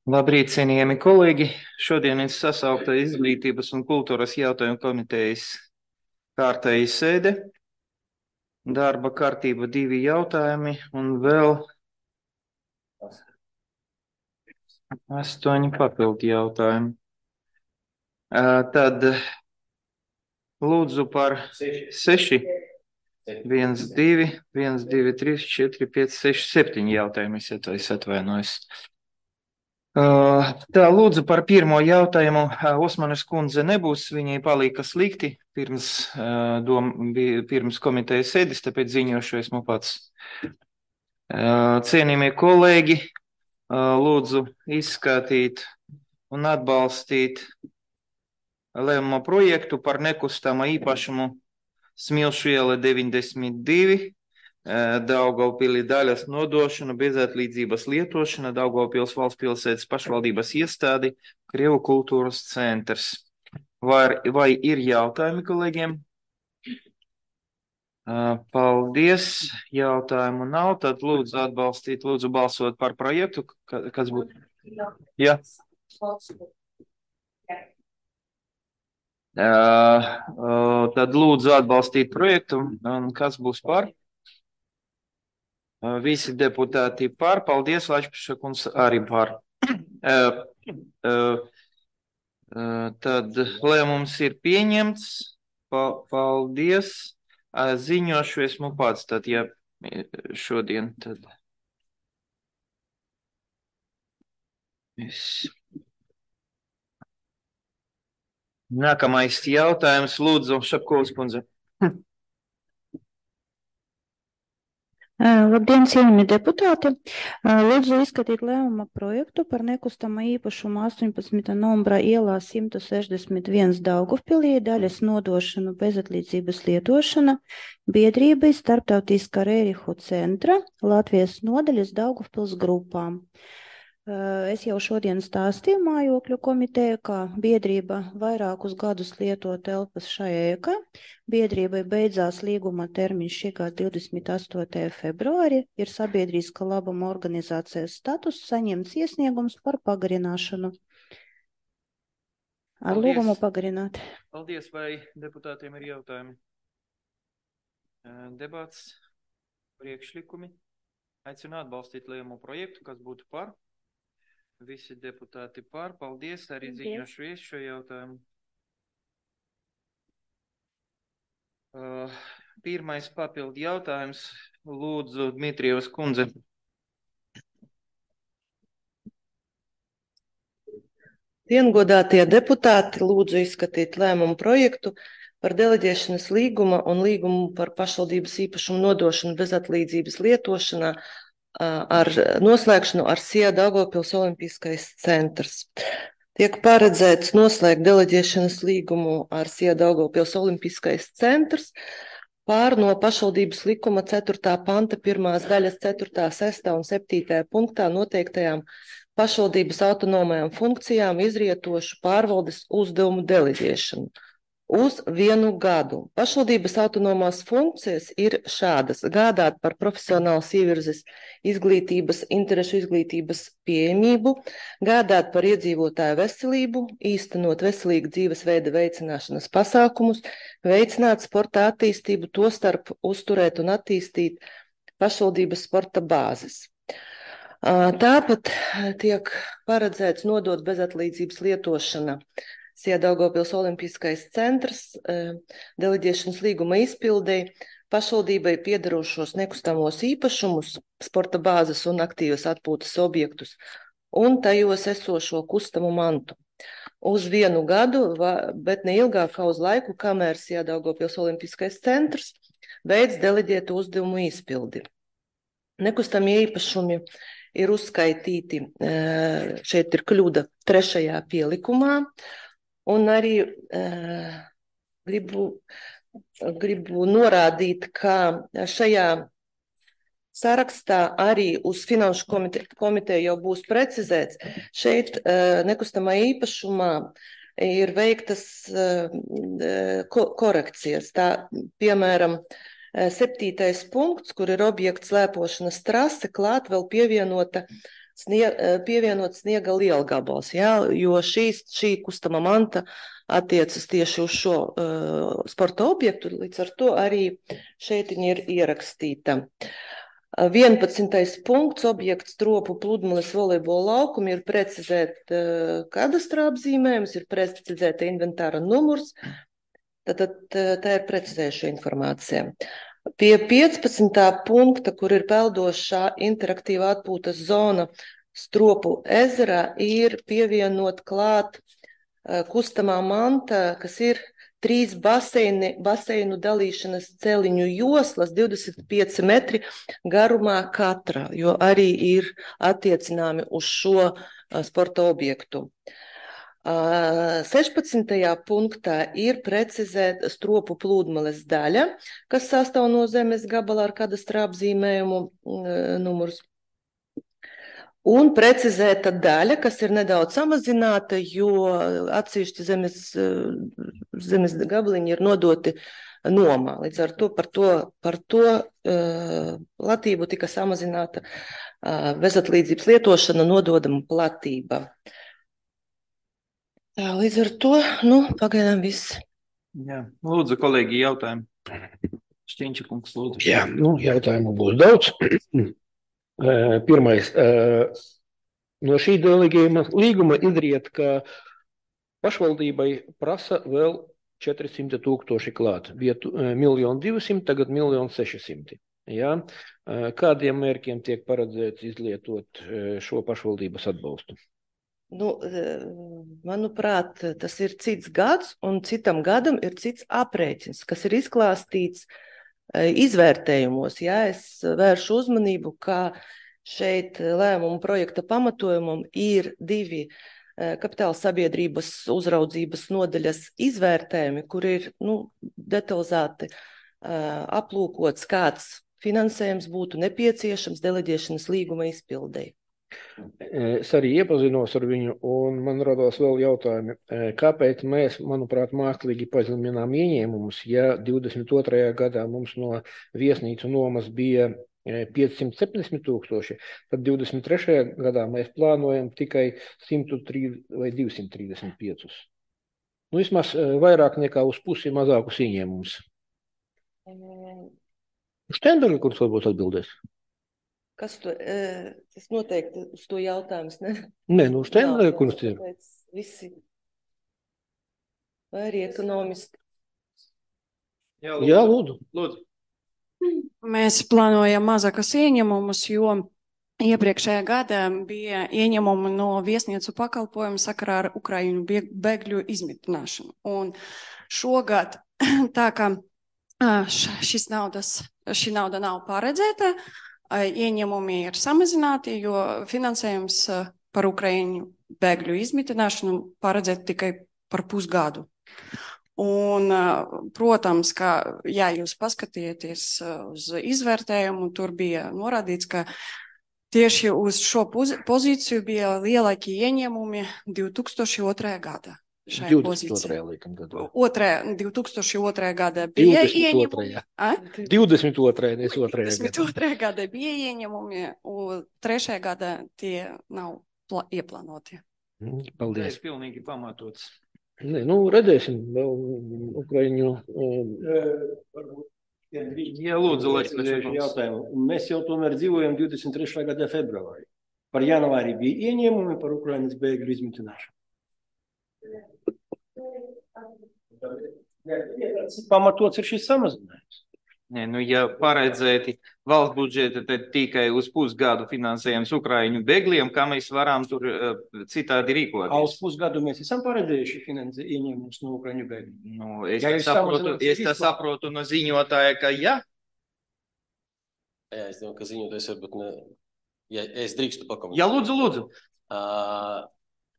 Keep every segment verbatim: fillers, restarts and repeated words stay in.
Labrīt, cienījami kolēģi! Šodien ir sasaukta Izglītības un kultūras jautājumu komitejas kārtēja sēde. Darba kārtība divi jautājumi un vēl astoņi papildu jautājumi. Tad lūdzu par seši, viens, divi, viens, divi, trīs, četri, pieci, seši, septiņi jautājumi, es atvainojos. Tā, lūdzu par pirmo jautājumu. Osmanes kundze nebūs, viņai palika slikti pirms, dom, pirms komitejas sēdes, tāpēc ziņošu esmu pats. Cienījamie kolēģi, lūdzu izskatīt un atbalstīt lēmuma projektu par nekustamā īpašumu Smilšu iela deviņdesmit divi. Daugavpilī daļas nodošana, bezatlīdzības lietošana, Daugavpils valsts pilsētas pašvaldības iestādi, Krievu kultūras centrs. Vai, vai ir jautājumi kolēģiem? Paldies, jautājumu nav, tad lūdzu atbalstīt, lūdzu balsot par projektu, kas būtu? Jā. Tad lūdzu atbalstīt projektu, un kas būs par? Visi deputāti par, paldies, Lačpiša kungs arī par. Tad lēmums ir pieņemts, paldies, ziņošu esmu pats, tad ja šodien, tad es. Nākamais jautājums, lūdzu, Šapkovas kundze. Labdien, cienījamie deputāti! Lūdzu izskatīt lēmuma projektu par nekustamā īpašuma astoņpadsmitā numura ielā simt sešdesmit viens Daugavpilī daļas nodošanu bezatlīdzības lietošana biedrībai Starptautiskā Rērihu centra Latvijas nodaļas Daugavpils grupām. Es jau šodien stāstīju mājokļu komiteju, ka biedrība vairākus gadus lieto telpas šajā ēkā. Biedrībai beidzās līguma termiņš šī gada divdesmit astotajā februārī, ir sabiedriska labuma organizācijas status, saņemts iesniegums par pagarināšanu. Ar Paldies. Lūgumu pagarināt. Paldies, vai deputātiem ir jautājumi? Debats, priekšlikumi. Aicinu atbalstīt lēmumu projektu, kas būtu par. Visi deputāti par, paldies, arī ziņošu visu šo jautājumu. Uh, pirmais papildu jautājums, lūdzu, Dmitrijevas kundze. Diengodātie deputāti, lūdzu izskatīt lēmumu projektu par deleģēšanas līguma un līgumu par pašvaldības īpašumu nodošanu bezatlīdzības lietošanā ar noslēgšanu ar S I A Daugavpils Olimpiskais centrs. Tiek paredzēts noslēgt deleģēšanas līgumu ar S I A Daugavpils Olimpiskais centrs pār no pašvaldības likuma ceturtā panta pirmās daļas ceturtā, sestā un septītajā punktā noteiktajām pašvaldības autonomajām funkcijām izrietošu pārvaldes uzdevumu deleģēšanu uz vienu gadu. Pašvaldības autonomās funkcijas ir šādas: gādāt par profesionālas ievirzes izglītības, interešu izglītības pieejamību, gādāt par iedzīvotāju veselību, īstenot veselīgu dzīvesveida veicināšanas pasākumus, veicināt sporta attīstību, tostarp uzturēt un attīstīt pašvaldības sporta bāzes. Tāpat tiek paredzēts nodot bezatlīdzības lietošana S I A Daugavpils Olimpiskais centrs deleģēšanas līguma izpildēji pašvaldībai piederošos nekustamos īpašumus, sporta bāzes un aktīvas atpūtas objektus un tajos esošo kustamu mantu uz vienu gadu, bet ne ilgāk kā uz laiku, kamēr S I A Daugavpils Olimpiskais centrs beidz deleģētu uzdevumu izpildi. Nekustamie īpašumi ir uzskaitīti, šeit ir kļūda trešajā pielikumā. Un arī uh, gribu, gribu norādīt, ka šajā sarakstā arī uz finanšu komite, komiteju jau būs precizēts. Šeit uh, nekustamā īpašumā ir veiktas uh, ko, korekcijas. Tā, piemēram, septītais punkts, kur ir objekts slēpošanas trase, klāt vēl pievienota snieg, pievienot sniega lielgabals, jā, jo šīs, šī kustama manta attiecas tieši uz šo uh, sporta objektu, līdz ar to arī šeit viņa ir ierakstīta. vienpadsmitais punkts, objekts Stropu pludmales volejbola laukumi, ir precizēt uh, kadastra apzīmējums, ir precizēta inventāra numurs, tad, tad tā ir precizējuša informācija. Pie piecpadsmitā punkta, kur ir peldošā interaktīva atpūtas zona Stropu ezerā, ir pievienot klāt uh, kustamā manta, kas ir trīs baseini, baseinu dalīšanas celiņu joslas, divdesmit pieci metri garumā katra, jo arī ir attiecināmi uz šo uh, sporta objektu. Uh, sešpadsmitajā punktā ir precizēta Stropu pludmales daļa, kas sastāv no zemes gabala ar kadastra apzīmējumu uh, numurs. Un precizēta daļa, kas ir nedaudz samazināta, jo atsevišķi zemes, zemes gabaliņi ir nodoti nomā. Līdz ar to par to, par to uh, platību tika samazināta uh, bezatlīdzības lietošana nododama platība. Tā, līdz ar to, nu, pagaidām viss. Jā, lūdzu, kolēģi, jautājumu. Šķiņča kungs, lūdzu. Jā, nu, jautājumu būs daudz. Pirmais, no šī delegējuma līguma izriet, ka pašvaldībai prasa vēl četri simti tūkstoši klāt. Bija miljonu divsimt, tagad miljonu seši simti. Jā. Kādiem mērķiem tiek paredzēts izlietot šo pašvaldības atbalstu? Nu, manuprāt, tas ir cits gads, un citam gadam ir cits aprēķins, kas ir izklāstīts izvērtējumos. Jā, es vēršu uzmanību, ka šeit lēmumu projekta pamatojumam ir divi kapitāla sabiedrības uzraudzības nodaļas izvērtējumi, kur ir nu, detalizēti aplūkots, kāds finansējums būtu nepieciešams deleģēšanas līguma izpildei. Es arī iepazinos ar viņu, un man radās vēl jautājumi, kāpēc mēs, manuprāt, mākslīgi pazeminām ieņēmumus, ja divdesmit otrajā gadā mums no viesnīcu nomas bija piecsimt septiņdesmit tūkstoši, tad divdesmit trešajā gadā mēs plānojam tikai simt trīs vai divsimt trīsdesmit pieci. Nu, vismaz vairāk nekā uz pusi mazākus ieņēmumus. Štenberga, kurš varbūt atbildēs? Kas to, tas noteikti uz to jautājums, ne? Nē, nu, Štenberga, kurš ir? Visi. Vai arī ekonomisti? Jā, lūdzu. Jā, lūdzu. Lūdzu. Mēs plānojam mazākas ieņemumus, jo iepriekšējā gadā bija ieņemumi no viesnīcu pakalpojumu sakarā ar Ukraiņu bēgļu izmitināšanu. Un šogad tā kā šis naudas, šī nauda nav paredzēta, ieņemumi ir samazināti, jo finansējums par Ukraiņu bēgļu izmitināšanu paredzēt tikai par pusgadu. Un, protams, ka, ja jūs paskatieties uz izvērtējumu, tur bija norādīts, ka tieši uz šo pozīciju bija lielākie ieņēmumi divi tūkstoši otrajā gadā. divdesmit otrajā laikam gadā. Otrajā, divi tūkstoši otrajā gadā bija ieņēmumi. divdesmit otrajā, nevis otrajā gadā. divdesmit otrajā gadā bija ieņēmumi, un trešajā gadā tie nav ieplānoti. Paldies. Tas ir pilnīgi pamatots. Nē, nu, redzēsim vēl Ukraiņu. Jā, lūdzu, lai jautājumu. Mēs jau tomēr dzīvojam divdesmit trešā gada februārī. Par janvāri bija ieņēmumi par Ukrainas bēgļu izmitināšanu. Pamatots ir šis samazinājums. Nē, nu, ja paredzēti valsts budžeta, tad tikai uz pusgadu finansējums Ukraiņu bēgļiem, kā mēs varam tur uh, citādi rīkoties. Uz pusgadu mēs esam paredzējuši finansējumus ieņēmumus no Ukraiņu bēgļiem. Nu, es ja saprotu, es tā saprotu no ziņotāja, ka jā. Jā, es domāju, ka ziņotājs varbūt ne... Ja es drīkstu pakomentēt. Jā, lūdzu, lūdzu. Uh,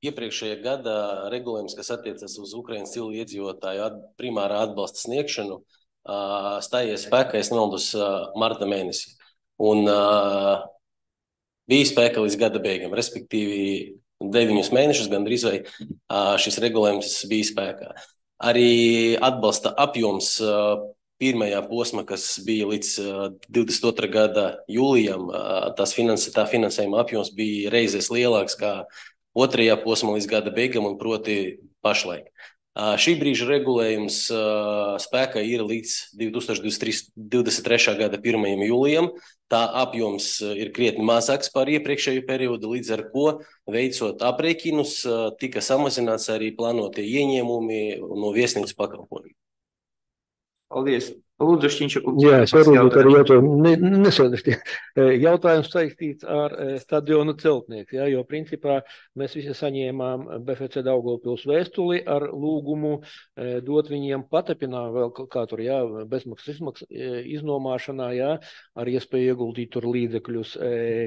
iepriekšējā gada regulējums, kas attiecas uz Ukrainas civilu iedzīvotāju at, primārā atbalsta sniegšanu, Uh, stājies spēkā, es nemaldos, uh, marta mēnesī. Un uh, bija spēkā līdz gada beigām, respektīvi deviņus mēnešus gandrīz vai uh, šis regulējums bija spēkā. Arī atbalsta apjoms uh, pirmajā posma, kas bija līdz divdesmit otrā gada jūlijam, tās finans, tā finansējuma apjoms bija reizes lielāks kā otrajā posmā līdz gada beigām, un proti pašlaik. Šī brīža regulējums spēkā ir līdz divdesmit trešā gada pirmajam jūlijam. Tā apjoms ir krietni mazāks par iepriekšējo periodu, līdz ar ko, veicot aprēķinus, tika samazināts arī plānotie ieņēmumi no viesnīcu pakalpojumu. Paldies. Lūdzu, Šķiņš. Jā, es varu būt ar jautājumu. Ne, nesaudēšķi. Jautājums saistīts ar stadionu celtnieku, jā, jo principā mēs visi saņēmām B F C Daugavpils vēstuli ar lūgumu dot viņiem patepinā vēl kā tur, jā, bezmaksas izmaksas iznomāšanā, jā, ar iespēju ieguldīt tur līdzekļus.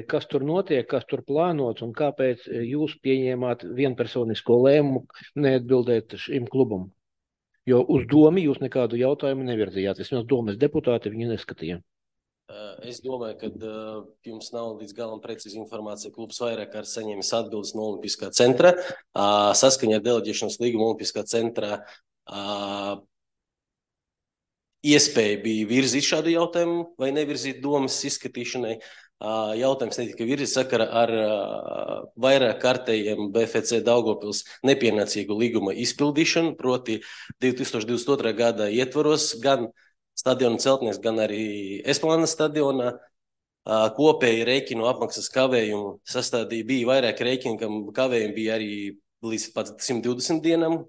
Kas tur notiek, kas tur plānots un kāpēc jūs pieņēmāt vienpersonisko lēmumu neatbildēt šim klubam? Jo uz domu jūs nekādu jautājumu nevirzījāt. Vismaz domas deputāti viņu neskatīja. Es domāju, ka jums nav līdz galam precīzi informācija. Klubs vairāk kārt saņēmis atbildes no Olimpiskā centra. Saskaņā ar deleģēšanas līgumu Olimpiskā centrā iespēja bija virzīt šādu jautājumu vai nevirzīt domas izskatīšanai. Jautājums netika virzīts sakarā ar vairāk kārtējiem B F C Daugavpils nepienācīgu līguma izpildīšanu, proti divtūkstoš divdesmit otrā gada ietvaros gan stadiona celtnieks, gan arī Esplānas stadionā kopēji rēķinu apmaksas kavējumu sastādīja. Bija vairāk rēķinu, kam kavējumi bija arī līdz pat simt divdesmit dienām.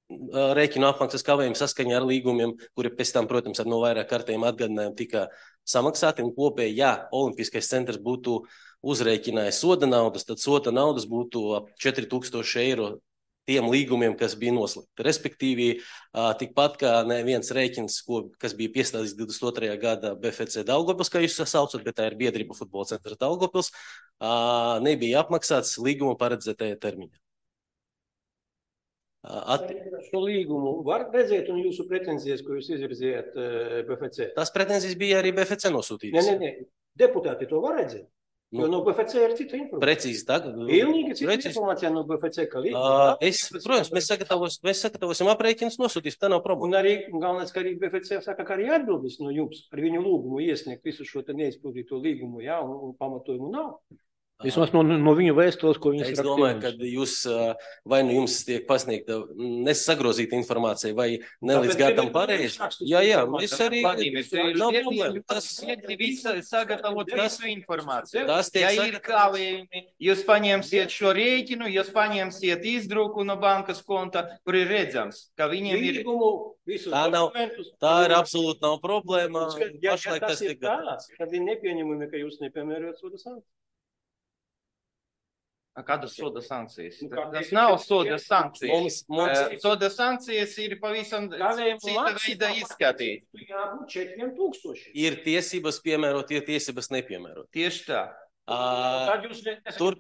Rēķinu apmaksas kavējumu saskaņā ar līgumiem, kuri pēc tam, protams, ar no vairāk kārtējiem atgādinājumiem tika samaksāti, un kopēji, ja Olimpiskais centrs būtu uzrēķinājis soda naudas, tad soda naudas būtu ap četri tūkstoši eiro tiem līgumiem, kas bija noslēgti. Respektīvi, tikpat kā neviens rēķins, ko, kas bija piestādīts divdesmit otrajā gada B F C Daugavpils, kā jūs saucat, bet tā ir biedrība futbola centra Daugavpils, nebija apmaksāts līguma paredzētajā termiņā. At... Šo līgumu var redzēt un jūsu pretenzijas, ko jūs izvirzījāt B F C? Tās pretenzijas bija arī B F C nosūtītas. Nē, nē, nē. Deputāti to var redzēt? Nu, jo no B F C ir cita informācija. Precīzi tagad. Pilnīgi cita precīzi. Informācija no B F C, ka līguma. Uh, es, protams, mēs, sagatavos, mēs sagatavosim aprēķinus, nosūtīsim, tā nav problēma. Un arī, galvenais, ka arī B F C saka, ka arī atbildes no jums ar viņu lūgumu iesniegt visu šo te neizpildīto līgumu, jā, un, un pamatojumu nav. Vismaz no, no viņu vēstules, ko viņas es domāju, ka jūs, vai nu jums tiek pasniegta nesagrozīta informācija, vai nelīdz gātam pareizi. Jā, jā, es arī... Nav problēma. Tas visa sagatavot visu informāciju. Tas tiek ja ir kavējumi, jūs paņemsiet šo rēķinu, jūs paņemsiet izdruku no bankas konta, kur ir redzams, ka viņiem ir... Tā, nav, tā ir absolūti nav problēma. Ja, ja tas ir tāds, tad ir nepieņemumi, ka jūs nepiemērojat soda sankcijas. Kādas soda sankcijas? Nu, tas nav soda sankcijas. Mums, mums... Uh, soda sankcijas ir pavisam cita veida izskatīt. Jābūt četriem tūkstoši. Ir tiesības piemērot, ir tiesības nepiemērot. Tieši tā. Uh, tur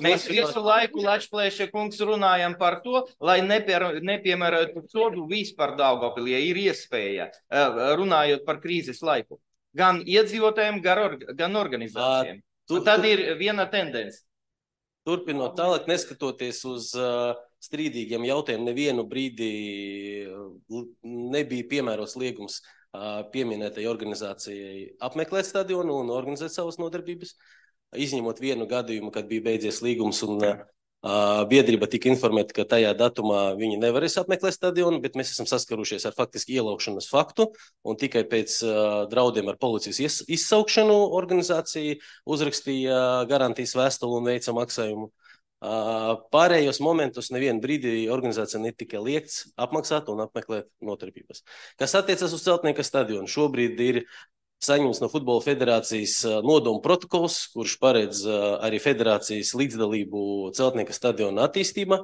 mēs visu laiku, Lačplēša kungs, runājam par to, lai nepiemērotu sodu vispār Daugavpilī, ja ir iespēja, uh, runājot par krīzes laiku. Gan iedzīvotājiem, gan organizācijiem. Uh, tu, tad tu... ir viena tendence. Turpinot tālāk, neskatoties uz uh, strīdīgiem jautājumiem, nevienu brīdi nebija piemērots liegums uh, pieminētai organizācijai apmeklēt stadionu un organizēt savas nodarbības, izņemot vienu gadījumu, kad bija beidzies līgums un uh, biedrība tika informēta, ka tajā datumā viņi nevarēs apmeklēt stadionu, bet mēs esam saskarušies ar faktiski ielaukšanas faktu, un tikai pēc uh, draudiem ar policijas ies, izsaukšanu organizācija uzrakstīja garantijas vēstuli un veica maksājumu. Uh, pārējos momentus nevienu brīdi organizācija netika liekts apmaksāt un apmeklēt nodarbības. Kas attiecas uz Celtnieka stadionu, šobrīd ir saņemts no Futbola federācijas nodomu protokols, kurš paredz arī federācijas līdzdalību Celtnieka stadiona attīstībā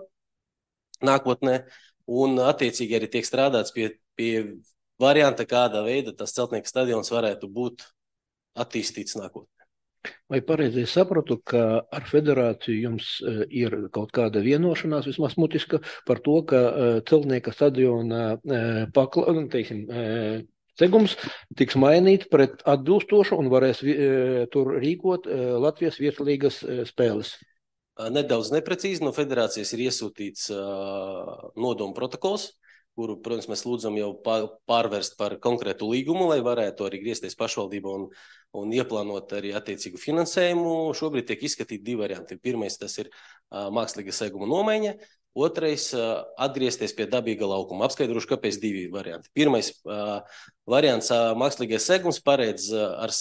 nākotnē, un attiecīgi arī tiek strādāts pie, pie varianta, kādā veida tas Celtnieka stadions varētu būt attīstīts nākotnē. Vai pareizi sapratu, ka ar federāciju jums ir kaut kāda vienošanās, vismaz mutiska, par to, ka Celtnieka stadiona pakla, teiksim, segums tiks mainīt pret atbilstošu un varēs e, tur rīkot e, Latvijas vietlīgas e, spēles? Nedaudz neprecīzi no federācijas ir iesūtīts uh, nodomu protokols, kuru, protams, mēs lūdzam jau pārvērst par konkrētu līgumu, lai varētu arī griezties pašvaldība un, un ieplānot arī attiecīgu finansējumu. Šobrīd tiek izskatīti divi varianti. Pirmais tas ir uh, mākslīga seguma nomaiņa, otrais uh, atgriezties pie dabīga laukuma. Apskaidrošu, kāpēc divi varianti. Pirmais uh, variants uh, mākslīgais segums paredz, uh, ar,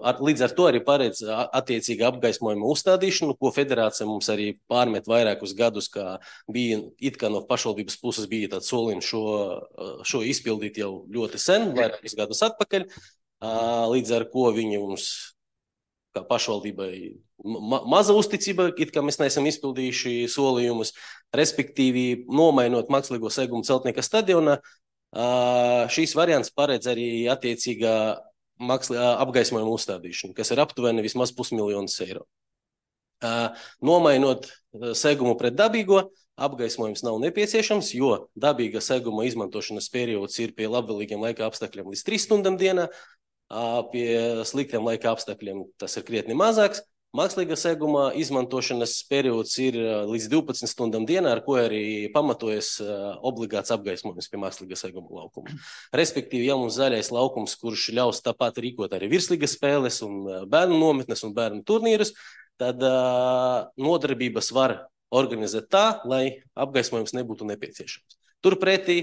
ar, līdz ar to arī paredz uh, attiecīgi apgaismojuma uzstādīšanu, ko federācija mums arī pārmet vairākus gadus, kā bija it kā no pašvaldības puses bija tāds solījums šo, uh, šo izpildīt jau ļoti sen, vairākus gadus atpakaļ, uh, līdz ar ko viņi mums kā pašvaldībai ma maza uzticība, it kā mēs neesam izpildījuši solījumus, respektīvi nomainot mākslīgo segumu Celtnieka stadionā. Šīs variants paredz arī attiecīgā apgaismojuma uzstādīšanu, kas ir aptuveni vismaz pusmiljonus eiro. Nomainot segumu pret dabīgo, apgaismojums nav nepieciešams, jo dabīga seguma izmantošanas periods ir pie labvēlīgiem laika apstākļiem līdz trīs stundām dienā, pie sliktiem laika apstākļiem tas ir krietni mazāks. Mākslīga seguma izmantošanas periods ir līdz divpadsmit stundām dienā, ar ko arī pamatojas obligāts apgaismojums pie mākslīga seguma laukuma. Respektīvi, ja mums zaļais laukums, kurš ļaus tāpat rīkot arī virslīgas spēles un bērnu nometnes un bērnu turnīrus, tad uh, nodarbības var organizēt tā, lai apgaismojums nebūtu nepieciešams. Turpretī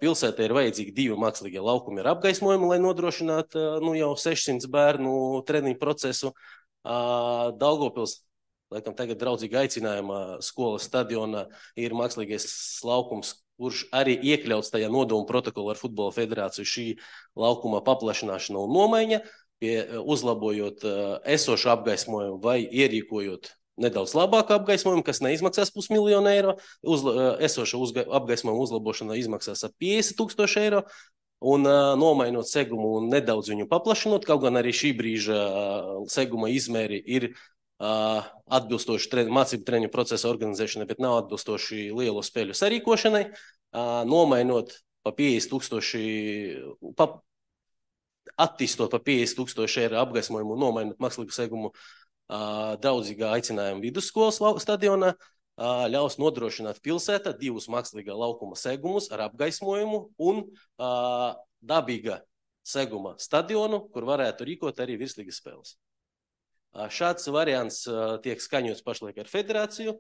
pilsētā ir vajadzīgi divi mākslīgie laukumi ar apgaismojumu, lai nodrošinātu nu, jau sešsimt bērnu treniņu procesu. Daugavpils, laikam tagad draudzīgi aicinājumā skolas stadionā ir mākslīgais laukums, kurš arī iekļauts tajā nodomu protokolu ar Futbola federāciju šī laukuma paplašināšana un nomaiņa, pie, uzlabojot esošu apgaismojumu vai ierīkojot nedaudz labāku apgaismojumu, kas neizmaksās pusmiljonu eiro, uzla, esoša uzga, apgaismojuma uzlabošana izmaksās ap piecdesmit tūkstoši eiro, un uh, nomainot segumu un nedaudz viņu paplašinot, kaut gan arī šī brīža uh, seguma izmēri ir uh, atbilstoši treni, mācību treniņu procesa organizēšanai, bet nav atbilstoši lielu spēļu sarīkošanai, uh, nomainot pa piecdesmit tūkstoši, pa, attīstot pa piecdesmit tūkstoši eiro apgaismojumu un nomainot mākslīgu segumu Uh, draudzīgā aicinājuma vidusskolas stadionā uh, ļaus nodrošināt pilsētā divus mākslīgā laukuma segumus ar apgaismojumu un uh, dabīga seguma stadionu, kur varētu rīkot arī virslīgas spēles. Uh, šāds variants uh, tiek skaņots pašlaik ar federāciju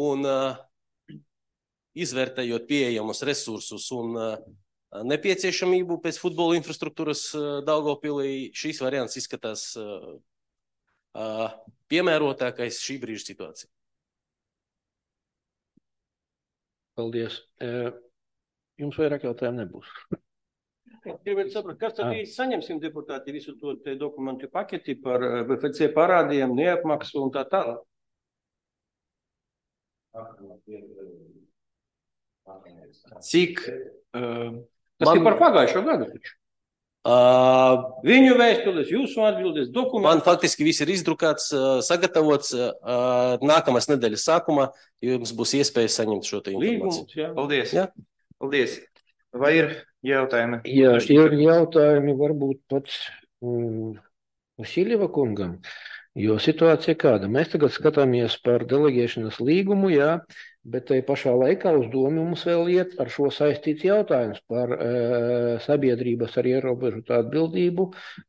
un uh, izvērtējot pieejamus resursus un uh, nepieciešamību pēc futbola infrastruktūras uh, Daugavpilī, šīs variants izskatās uh, Uh, piemērotākais šī brīža situācija. Paldies. Jums vairāk jautājumu nebūs. Gribētu saprast, kas tad īsti saņemsim deputāti visu to te dokumentu paketi par B F C parādiem, neapmaksu un tā tālāk? Cik? Uh, tas Man... ir par pagājušo gadu taču. Uh, Viņu vēstules, jūsu atbildes, dokumenti. Man faktiski viss ir izdrukāts, sagatavots. Uh, nākamās nedēļas sākumā jums būs iespēja saņemt šo te informāciju. Līgums, jā. Paldies. Jā. Paldies. Vai ir jautājumi? Jā, ir jautājumi varbūt pats um, Vasiljeva kungam, jo situācija kāda. Mēs tagad skatāmies par delegēšanas līgumu, jā, bet tai pašā laikā uz domu mums vēl iet ar šo saistīts jautājums par e, sabiedrības ar ierobežotu atbildību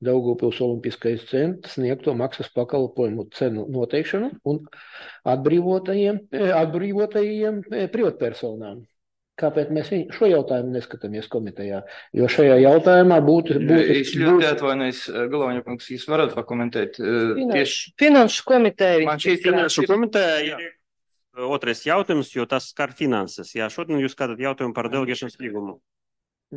Daugavpils Olimpiskais centrs sniegto maksas pakalpojumu cenu noteikšanu un atbrīvotajiem, e, atbrīvotajiem e, privatpersonām. Kāpēc mēs šo jautājumu neskatāmies komitejā? Jo šajā jautājumā būtu... būtu es ļoti atvainojos, Galvaņa kungs, jūs varat pakomentēt? Finanšu, Tieši... finanšu komiteja. Man šeit finanšu komiteja ir otrais jautājums, jo tas skar finanses. Jā, šodien jūs skatāt jautājumu par delegēšanas līgumu.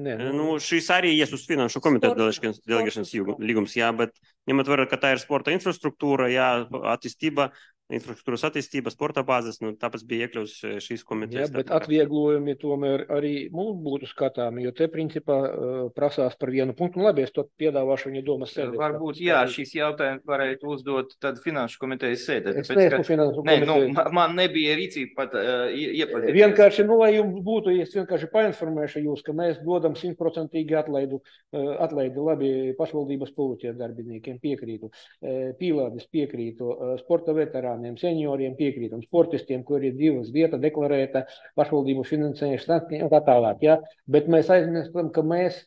Nē, nu... Nu, šis arī ies uz finanšu komiteju delegēšanas līgums, jā, bet ņemot vērā, ka tā ir sporta infrastruktūra, jā, attīstība, infrastruktūras attīstība, sporta bāzes, nu, tāpēc bija iekļauts šīs komitejas. Jā, bet atvieglojumi tomēr arī mums būtu skatāmi, jo te principā uh, prasās par vienu punktu. Un labi, es to piedāvāšu viņa domas sēdē. Varbūt, jā, šīs jautājumi varētu uzdot tad finanšu komitejas sēdē. Es neesmu finanšu komitejas. Nē, nu, man nebija rīcība pat uh, iepazīties. Vienkārši, nu, lai jums būtu, es vienkārši painformēšu jūs, ka mēs dodam simtprocentīgi atlaidu, uh, atlaidi labi pašvaldības politiķiem darbiniekiem piekrītu, uh, pīlādis piekrītu, uh, sporta veterāni veterāniem, senioriem piekrītam, sportistiem, kur ir divas vieta deklarēta pašvaldību finansēšana un tā tālāk. Ja? Bet mēs aizmirstam, ka mēs,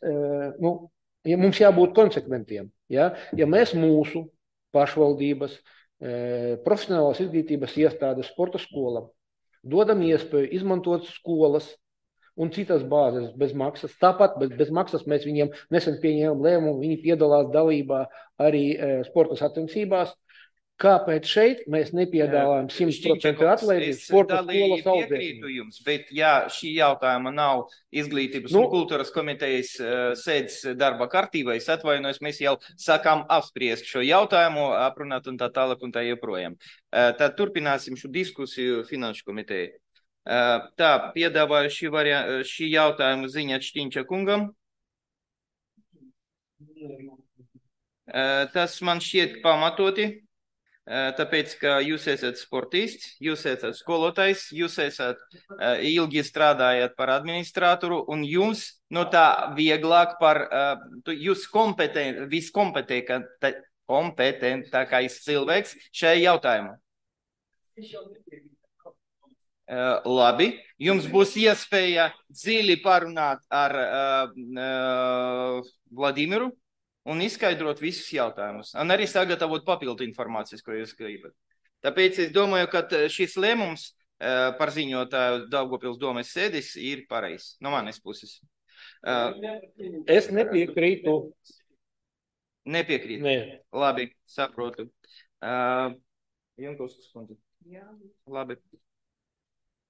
nu, ja mums jābūt konsekventiem. Ja, ja mēs mūsu pašvaldības profesionālās izglītības iestādes sporta skolam dodam iespēju izmantot skolas un citas bāzes bez maksas. Tāpat bez, bez maksas mēs viņiem nesen pieņēmām lēmumu, viņi piedalās dalībā arī sporta sacensībās. Kāpēc šeit mēs nepiedāvājam simt procentu atlaidību sporta skolas piekrītu jums, bet ja šī jautājuma nav izglītības nu, un kultūras komitejas uh, sēdes darba kārtībā, es atvainojos, mēs jau sākām apspriest šo jautājumu, aprunāt un tā tālāk un tā joprojām. Uh, tad turpināsim šo diskusiju finanšu komiteju. Uh, tā, piedāvāju šī, variā, šī jautājuma ziņa Šķiņča kungam. Uh, tas man šķiet pamatoti. Tāpēc, ka jūs esat sportists, jūs esat skolotājs, jūs esat uh, ilgi strādājat par administratoru un jums no tā vieglāk par, uh, jūs kompetent, viskompetentākais cilvēks šajā jautājumā. Uh, labi, jums būs iespēja dziļi parunāt ar uh, uh, Vladimiru un izskaidrot visus jautājumus, un arī sagatavot papildu informācijas, ko jūs gribat. Tāpēc es domāju, ka šis lēmums uh, par ziņotāju Daugavpils domes sēdes ir pareizs, no manis puses. Uh, es nepiekrītu. Nepiekrītu? Nē. Labi, saprotu. Uh, Jankovskas kundze. Jā. Labi.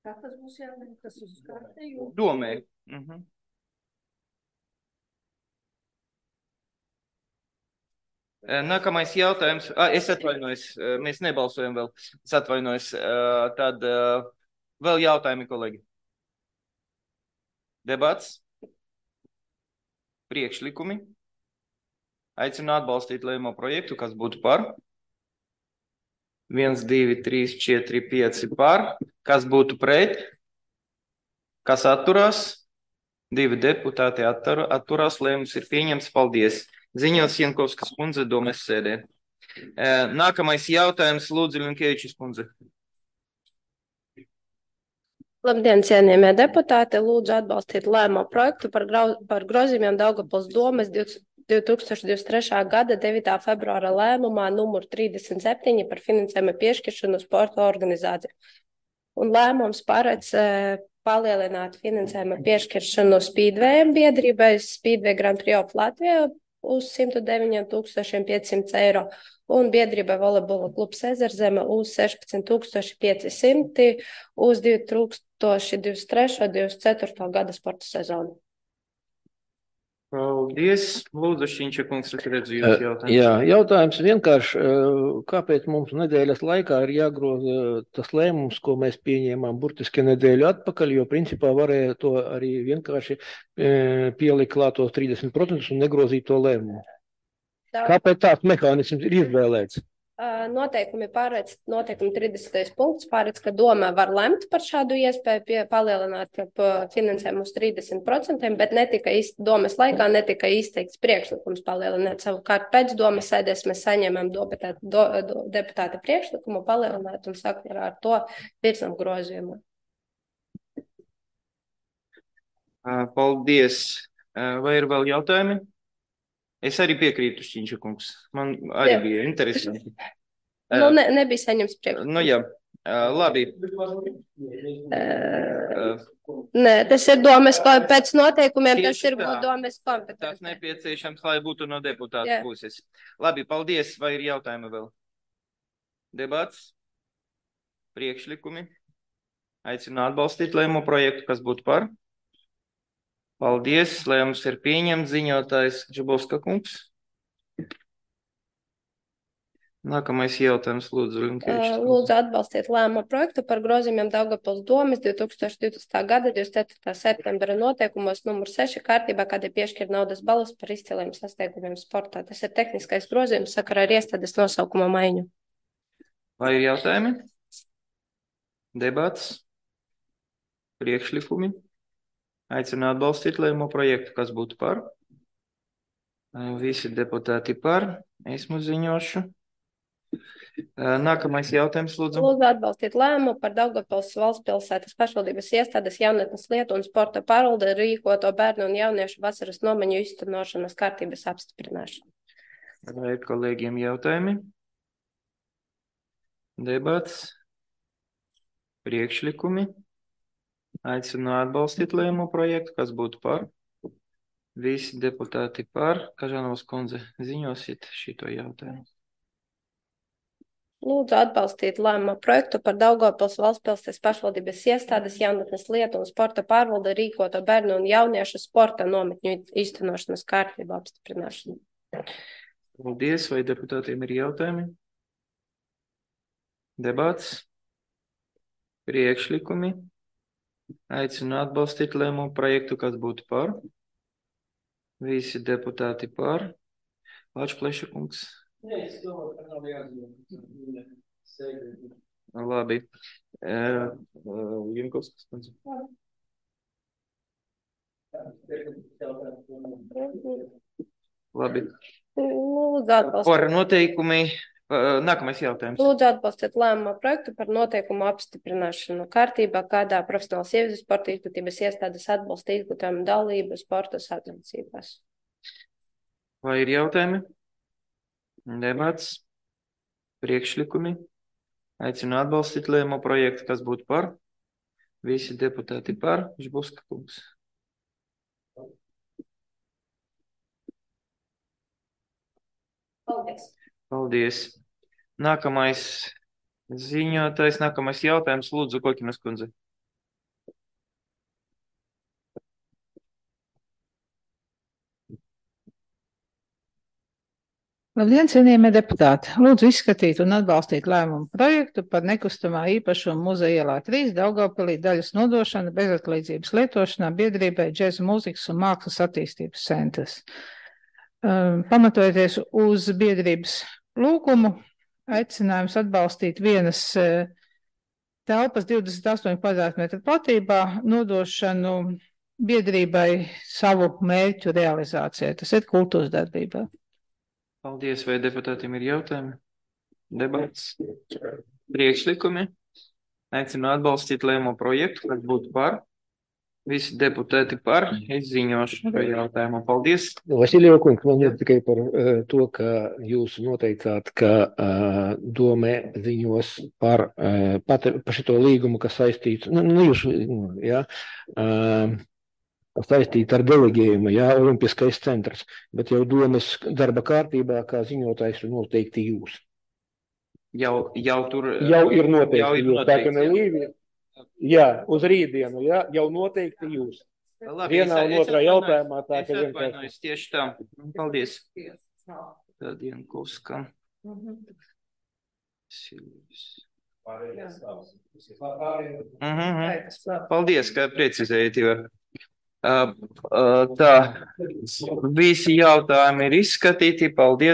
Kā tas būs jāvien, kas uz kārtēju? Domē. Uh-huh. Nākamais jautājums. Ah, es atvainojos, mēs nebalsojam vēl. Es atvainojos. Tad vēl jautājumi, kolēģi. Debats. Priekšlikumi. Aicinu atbalstīt lēmumu projektu, kas būtu par. viens, divi, trīs, četri, pieci par. Kas būtu pret? Kas atturās? Divi deputāti attur, atturās. Lēmums ir pieņemts. Paldies. Ziņos Jankovskas kundze domes sēdē. Nākamais jautājums, Lūdzu, Linkevičs kundze. Labdien, cienījamie deputāti. Lūdzu atbalstīt lēmumu projektu par, grau, par grozījumiem Daugavpils domes divi tūkstoši divdesmit trešā gada devītā februāra lēmumā numur trīsdesmit septiņi par finansējumu piešķiršanu sporta organizāciju. Un lēmums paredz e, palielināt finansējumu piešķiršanu Speedwayam biedrībai Speedway Grand Prix of Latvijā uz simt deviņi tūkstoši piecsimt eiro un biedrībai volejbola klubs Ezerzeme uz sešpadsmit tūkstoši pieci simti uz divi tūkstoši divdesmit trešā divdesmit ceturtā gada sporta sezonu. Paldies. Lūdzu, Šķiņča kungs, es redzu jūs jautājums. Jā, jautājums vienkārši, kāpēc mums nedēļas laikā ir jāgroza tas lēmums, ko mēs pieņēmām burtiski nedēļu atpakaļ, jo principā varēja to arī vienkārši pielikt klāt tos trīsdesmit procentus un negrozīt to lēmumu. Tā. Kāpēc tāds mehānisms ir izvēlēts? Noteikumi pārēc, noteikumi trīsdesmitais punkts pārēc, ka doma var lemt par šādu iespēju pie, palielināt finansējumu uz trīsdesmit procentiem, bet netika īsti, domas laikā netika izteikts priekšlikums palielināt. Savukārt pēc domas sēdēs mēs saņemam deputāta, do, do, deputāta priekšlikumu palielināt un sakarā ar to virsam grozījumu. Paldies. Vai ir vēl jautājumi? Es arī piekrītu, Šķiņča kungs. Man arī jā. Bija interesanti. Nu, ne, nebija saņems priekšlikums. Nu, jā. Labi. Uh, nē, tas ir domes, pēc noteikumiem tas ir domes kompetence. Tas nepieciešams, lai būtu no deputāta puses. Labi, paldies. Vai ir jautājumi vēl? Debats? Priekšlikumi? Aicinu atbalstīt lēmumu projektu, kas būtu par? Paldies, lēmums ir pieņemts, ziņotājs Džabovska kungs. Nākamais jautājums, lūdzu. Uh, lūdzu atbalstīt lēmumu projektu par grozījumiem Daugavpils domes divi tūkstoši divdesmitā gada divdesmit ceturtā septembra noteikumos numur seši kārtībā, kad ir piešķir naudas balvas par izciliem sasniegumiem sportā. Tas ir tehniskais grozījums sakarā ar iestādes nosaukuma maiņu. Vai ir jautājumi? Debats? Priekšlikumi? Aicinu atbalstīt lēmumu projektu, kas būtu par. Visi deputāti par. Esmu ziņošu. Nākamais jautājums, lūdzu. Lūdzu atbalstīt lēmumu par Daugavpils valsts pilsētas pašvaldības iestādes jaunatnes lietu un sporta pārvalde rīkoto bērnu un jauniešu vasaras nomaņu iztenošanas kārtības apstiprināšanu. Vai kolēģiem jautājumi? Debats? Priekšlikumi? Aicinu atbalstīt lēmumu projektu, kas būtu par. Visi deputāti par. Kažanovas kundze, ziņosiet šito jautājumu. Lūdzu atbalstīt lēmumu projektu par Daugavpils valsts pilsētas pašvaldības iestādes jaunatnes lietu un sporta pārvalde rīkoto bērnu un jauniešu sporta nometņu īstenošanas kārtību apstiprināšanu. Paldies, vai deputātiem ir jautājumi? Debats? Priekšlikumi? Aicinu atbalstīt lēmumu projektu, kas būtu par. Visi deputāti par. Lāčplēša kungs. Nē, es domāju, ka nav jāatzīmē. Labi. Jankovskas kundze. Labi. Lūdzu atbalstīt. Par noteikumi. Nākamais jautājums. Lūdzu atbalstīt lēmumu projektu par noteikumu apstiprināšanu kārtībā, kādā profesionāla sievietes sporta izglītības iestādes atbalsta izglītojumu dalību sporta sacensībās. Vai ir jautājumi? Debats? Priekšlikumi? Aicinu atbalstīt lēmumu projektu, kas būtu par. Visi deputāti par. Žbuska kungs. Paldies. Paldies. Nākamais ziņotājs, nākamais jautājums, lūdzu, Kokinas kundze. Labdien, cienījamie deputāti! Lūdzu izskatīt un atbalstīt lēmumu projektu par nekustamā īpašuma Muzeja ielā trīs Daugavpilī daļas nodošanu bezatlīdzības lietošanā biedrībai Džeza mūzikas un mākslas attīstības centrs. Pamatojoties uz biedrības lūgumu, aicinājums atbalstīt vienas telpas divdesmit astoņu kvadrātmetru platībā nodošanu biedrībai savu mērķu realizācijai. Tas ir kultūras darbībā. Paldies, vai deputātiem ir jautājumi? Debats? Priekšlikumi? Aicinu atbalstīt lēmumu projektu, kas būtu par. Visi deputāti par. Es ziņošu šo jautājumu. Paldies. Vasilija kungs, man ir tikai par uh, to, ka jūs noteicāt, ka uh, domē ziņos par, uh, pat, par šito līgumu, kas saistīts, nu, nu jūs, jā, uh, saistīt ar delegējumu, jā, Olimpiskais centrs, bet jau domas darba kārtībā, kā ziņotājs noteikti jūs. Jau, jau tur... Jau ir noteikti jau ir jūs, noteikti, tā ka ne Līvija. Jā, uz rītdienu, jā, jau noteikti jūs. Labi, vienā es, un otrā es jautājumā tā, es ka atvainojos tieši tā. Paldies. Tad Jankovska. Mhm. Paldies, ka precizējat, jo uh, uh, tā visi jautājumi ir izskatīti. Paldies.